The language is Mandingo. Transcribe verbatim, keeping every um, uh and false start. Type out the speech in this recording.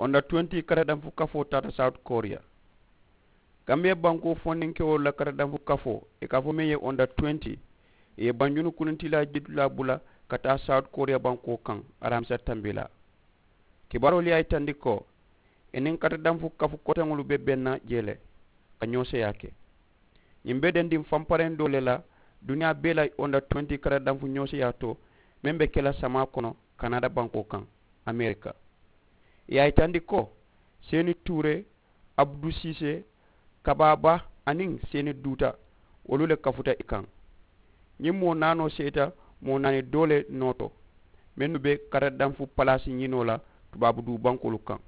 Onda twenty karadanfu kafoo taata south korea. Gambiya bankoo fondinkewolu la karadanfu kafoo i ka a fo meŋ ye onda twenty, i ye banjunu kunintilaa jitulaa bula ka taa south korea bankoo kaŋ. Alamisa tambilaa kibaaroolu ye a yitandi ko i niŋ karadanfu kafu koteŋolu be benna jee le ka ñoo seyaa ke. Ñiŋ be dendiŋ fampareŋ doo le la duniyaa bee la onda twenty karadanfu ñoo seyaa to meŋ be ke la samaa kono kanada bankoo kaŋ. Amerika i ye a yitandi ko seeni tuure, abdu siisee, kabaaba, aniŋ seeni duuta wolu le kafuta i kaŋ. Ñiŋ moo naanoo seeta moo naani doo le noo to mennu be karadanfu palaasi ñinoo la tubaabu duu bankoolu kaŋ.